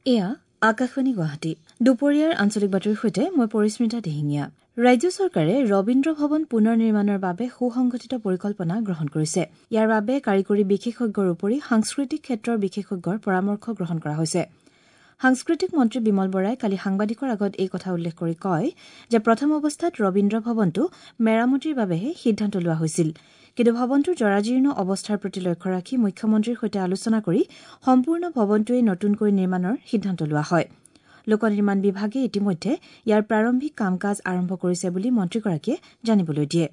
এয়া আকাশবাণী গুৱাহাটী। দুপৰীয়াৰ আঞ্চলিক বাতৰিৰ সৈতে মই পৰিস্মিতা দিহিঙীয়া। ৰাজ্য চৰকাৰে ৰবীন্দ্ৰ ভৱন পুনৰ নিৰ্মাণৰ বাবে সুসংগঠিত পৰিকল্পনা গ্ৰহণ কৰিছে। ইয়াৰ বাবে কাৰিকৰী বিশেষজ্ঞৰ উপৰি সাংস্কৃতিক ক্ষেত্ৰৰ বিশেষজ্ঞৰ পৰামৰ্শ গ্ৰহণ কৰা হৈছে। সাংস্কৃতিক মন্ত্ৰী বিমল বৰাই কালি সাংবাদিকৰ আগত এই কথা উল্লেখ কৰি কয় যে প্ৰথম অৱস্থাত ৰবীন্দ্ৰ ভৱনটো মেৰামতিৰ বাবেহে সিদ্ধান্ত লোৱা হৈছিল। কিন্তু ভৱনটোৰ জৰাজীৰ্ণ অৱস্থাৰ প্ৰতি লক্ষ্য ৰাখি মুখ্যমন্ত্ৰীৰ সৈতে আলোচনা কৰি সম্পূৰ্ণ ভৱনটোৱেই নতুনকৈ নিৰ্মাণৰ সিদ্ধান্ত লোৱা হয়। লোক নিৰ্মাণ বিভাগে ইতিমধ্যে ইয়াৰ প্ৰাৰম্ভিক কাম কাজ আৰম্ভ কৰিছে বুলি মন্ত্ৰীগৰাকীয়ে জানিবলৈ দিয়ে।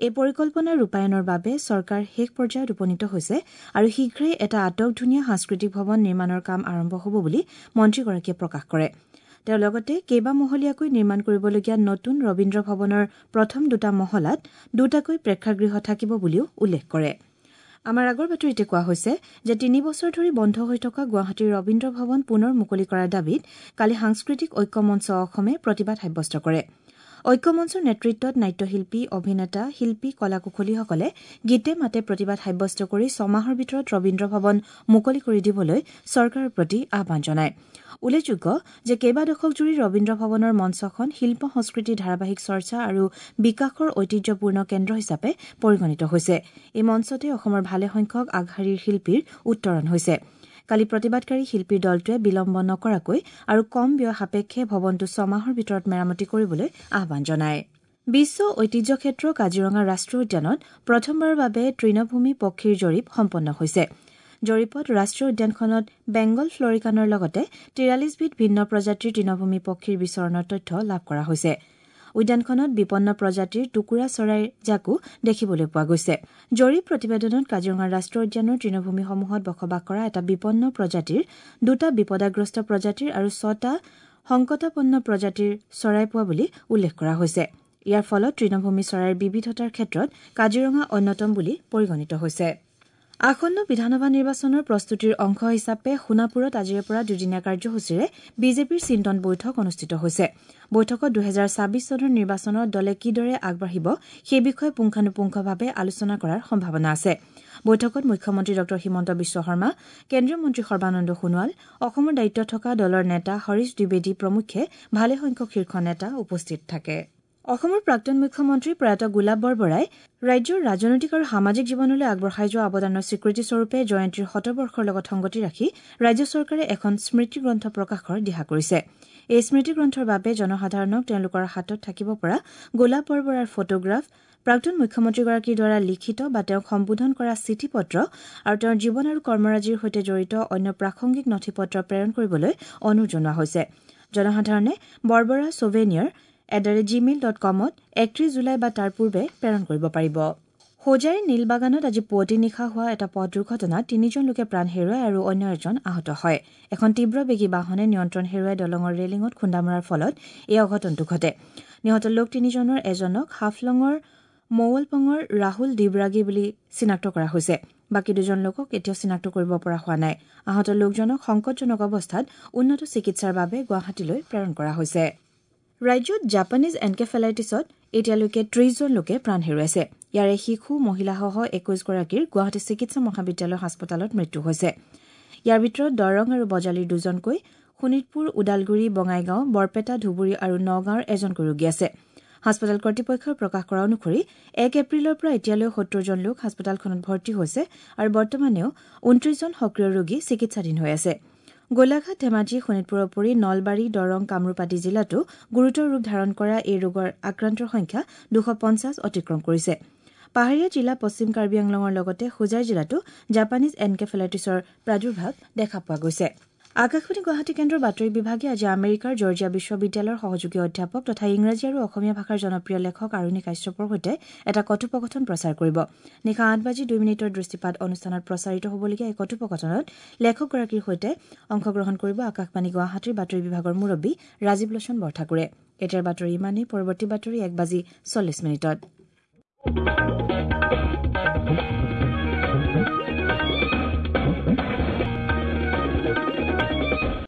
এই পৰিকল্পনা ৰূপায়ণৰ বাবে চৰকাৰ শেষ পৰ্যায়ত উপনীত হৈছে আৰু শীঘ্ৰেই এটা আটকধুনীয়া সাংস্কৃতিক ভৱন নিৰ্মাণৰ কাম আৰম্ভ হ'ব বুলি মন্ত্ৰীগৰাকীয়ে প্ৰকাশ কৰে। তেওঁ লগতে কেইবামহলীয়াকৈ নিৰ্মাণ কৰিবলগীয়া নতুন ৰবীন্দ্ৰ ভৱনৰ প্ৰথম দুটা মহলাত দুটাকৈ প্ৰেক্ষাগৃহ থাকিব বুলিও উল্লেখ কৰে। আমাৰ আগৰ বাতৰিতে কোৱা হৈছে যে 3 বছৰ ধৰি বন্ধ হৈ থকা গুৱাহাটীৰ ৰবীন্দ্ৰ ভৱন পুনৰ মুকলি কৰাৰ দাবীত কালি সাংস্কৃতিক ঐক্য মঞ্চ অসমে প্ৰতিবাদ সাব্যস্ত কৰে। ঐক্য মঞ্চৰ নেতৃত্বত নাট্যশিল্পী, অভিনেতা, শিল্পী, কলা কুশলীসকলে গীতে মাতে প্ৰতিবাদ সাব্যস্ত কৰি 6 মাহৰ ভিতৰত ৰবীন্দ্ৰ ভৱন মুকলি কৰি দিবলৈ চৰকাৰৰ প্ৰতি আহ্বান জনায়। উল্লেখযোগ্য যে কেইবা দশক জুৰি ৰবীন্দ্ৰ ভৱনৰ মঞ্চখন শিল্প সংস্কৃতিৰ ধাৰাবাহিক চৰ্চা আৰু বিকাশৰ ঐতিহ্যপূৰ্ণ কেন্দ্ৰ হিচাপে পৰিগণিত হৈছে। এই মঞ্চতে অসমৰ ভালেসংখ্যক আগশাৰীৰ শিল্পীৰ উত্তৰণ হৈছে। কালি প্ৰতিবাদকাৰী শিল্পীৰ দলটোৱে বিলম্ব নকৰাকৈ আৰু কম ব্যয় সাপেক্ষে ভৱনটো 6 মাহৰ ভিতৰত মেৰামতি কৰিবলৈ আহ্বান জনায়। বিশ্ব ঐতিহ্য ক্ষেত্ৰ কাজিৰঙা ৰাষ্ট্ৰীয় উদ্যানত প্ৰথমবাৰৰ বাবে তৃণভূমি পক্ষীৰ জৰীপ সম্পন্ন হৈছে। জৰীপত ৰাষ্ট্ৰীয় উদ্যানখনত বেংগল ফ্লৰিকানৰ লগতে 43বিধ ভিন্ন প্ৰজাতিৰ তৃণভূমি পক্ষীৰ বিচৰণৰ তথ্য লাভ কৰা হৈছে। উদ্যানখনত বিপন্ন প্ৰজাতিৰ টুকুৰা চৰাইৰ জাকো দেখিবলৈ পোৱা গৈছে। জৰীপ প্ৰতিবেদনত কাজিৰঙা ৰাষ্ট্ৰীয় উদ্যানৰ তৃণভূমিসমূহত বসবাস কৰা এটা বিপন্ন প্ৰজাতিৰ, 2টা বিপদাগ্ৰস্ত প্ৰজাতিৰ আৰু 6টা সংকটাপন্ন প্ৰজাতিৰ চৰাই পোৱা বুলি উল্লেখ কৰা হৈছে। ইয়াৰ ফলত তৃণভূমি চৰাইৰ বিবিধতাৰ ক্ষেত্ৰত কাজিৰঙা অন্যতম বুলি পৰিগণিত হৈছে। আসন্ন বিধানসভা নিৰ্বাচনৰ প্ৰস্তুতিৰ অংশ হিচাপে সোণাপুৰত আজিৰে পৰা দুদিনীয়া কাৰ্যসূচীৰে বিজেপিৰ চিন্তন বৈঠক অনুষ্ঠিত হৈছে। বৈঠকত 2026 চনৰ নিৰ্বাচনত দলে কিদৰে আগবাঢ়িব সেই বিষয়ে পুংখানুপুংখভাৱে আলোচনা কৰাৰ সম্ভাৱনা আছে। বৈঠকত মুখ্যমন্ত্ৰী ডঃ হিমন্ত বিশ্ব শৰ্মা, কেন্দ্ৰীয় মন্ত্ৰী সৰ্বানন্দ সোণোৱাল, অসমৰ দায়িত্বত থকা দলৰ নেতা হৰীশ দ্বিবেদী প্ৰমুখ্যে ভালেসংখ্যক শীৰ্ষ নেতা উপস্থিত থাকে। অসমৰ প্ৰাক্তন মুখ্যমন্ত্ৰী প্ৰয়াত গোলাপ বৰবৰাই ৰাজ্যৰ ৰাজনৈতিক আৰু সামাজিক জীৱনলৈ আগবঢ়াই যোৱা অৱদানৰ স্বীকৃতিস্বৰূপে জয়ন্তীৰ শতবৰ্ষৰ লগত সংগতি ৰাখি ৰাজ্য চৰকাৰে এখন স্মৃতিগ্ৰন্থ প্ৰকাশৰ দিহা কৰিছে। এই স্মৃতিগ্ৰন্থৰ বাবে জনসাধাৰণক তেওঁলোকৰ হাতত থাকিব পৰা গোলাপ বৰবৰাৰ ফটোগ্ৰাফ, প্ৰাক্তন মুখ্যমন্ত্ৰীগৰাকীৰ দ্বাৰা লিখিত বা তেওঁক সম্বোধন কৰা চিঠি পত্ৰ আৰু তেওঁৰ জীৱন আৰু কৰ্মৰাজিৰ সৈতে জড়িত অন্য প্ৰাসংগিক নথি পত্ৰ প্ৰেৰণ কৰিবলৈ অনুৰোধ জনোৱা হৈছে। জনসাধাৰণে বৰবৰা ছুভেনিয়াৰ @gmail.comত 31 জুলাই বা তাৰ পূৰ্বে প্ৰেৰণ কৰিব পাৰিব। হোজাইৰ নীলবাগানত আজি পুৱতি নিশা হোৱা এটা পথ দুৰ্ঘটনাত 3জন লোকে প্ৰাণ হেৰুৱায় আৰু অন্য এজন আহত হয়। এখন তীব্ৰবেগী বাহনে নিয়ন্ত্ৰণ হেৰুৱাই দলঙৰ ৰেলিঙত খুন্দা মৰাৰ ফলত এই অঘটনটো ঘটে। নিহত লোক 3জনৰ এজনক হাফলঙৰ মৌলপঙৰ ৰাহুল দিবৰাগী বুলি চিনাক্ত কৰা হৈছে। বাকী 2জন লোকক এতিয়াও চিনাক্ত কৰিব পৰা হোৱা নাই। আহত লোকজনক সংকটজনক অৱস্থাত উন্নত চিকিৎসাৰ বাবে গুৱাহাটীলৈ প্ৰেৰণ কৰা হৈছে। ৰাজ্যত জাপানীজ এনকেফেলাইটিছত এতিয়ালৈকে 30জন লোকে প্ৰাণ হেৰুৱাইছে। ইয়াৰে শিশু, মহিলাসহ 21গৰাকীৰ গুৱাহাটী চিকিৎসা মহাবিদ্যালয় হাস্পতালত মৃত্যু হৈছে। ইয়াৰ ভিতৰত দৰং আৰু বজালীৰ 2জনকৈ, শোণিতপুৰ, ওদালগুৰি, বঙাইগাঁও, বৰপেটা, ধুবুৰী আৰু নগাঁৱৰ এজনকৈ ৰোগী আছে। হাস্পতাল কৰ্তৃপক্ষই প্ৰকাশ কৰা অনুসৰি 1 এপ্ৰিলৰ পৰা এতিয়ালৈ 70জন লোক হাস্পতালখনত ভৰ্তি হৈছে আৰু বৰ্তমানেও 29জন সক্ৰিয় ৰোগী চিকিৎসাধীন হৈ আছে। গোলাঘাট, ধেমাজি, শোণিতপুৰৰ উপৰি নলবাৰী, দৰং, কামৰূপ আদি জিলাতো গুৰুতৰ ৰূপ ধাৰণ কৰা এই ৰোগৰ আক্ৰান্তৰ সংখ্যা 250 অতিক্ৰম কৰিছে। পাহাৰীয়া জিলা পশ্চিম কাৰ্বি আংলঙৰ লগতে হোজাই জিলাতো জাপানীজ এনকেফেলাইটিছৰ প্ৰাদুৰ্ভাৱ দেখা পোৱা গৈছে। আকাশবাণী গুৱাহাটী কেন্দ্ৰৰ বাতৰি বিভাগে আজি আমেৰিকাৰ জৰ্জিয়া বিশ্ববিদ্যালয়ৰ সহযোগী অধ্যাপক তথা ইংৰাজী আৰু অসমীয়া ভাষাৰ জনপ্ৰিয় লেখক আৰুণি কাশ্যপৰ সৈতে এটা কথোপকথন প্ৰচাৰ কৰিব। নিশা 8:02 দৃষ্টিপাত অনুষ্ঠানত প্ৰচাৰিত হ'বলগীয়া এই কথোপকথনত লেখকগৰাকীৰ সৈতে অংশগ্ৰহণ কৰিব আকাশবাণী গুৱাহাটীৰ বাতৰি বিভাগৰ মুৰব্বী ৰাজীৱ লোচন বৰঠাকুৰে। এতিয়াৰ বাতৰি ইমানেই। পৰৱৰ্তী বাতৰি 1:40।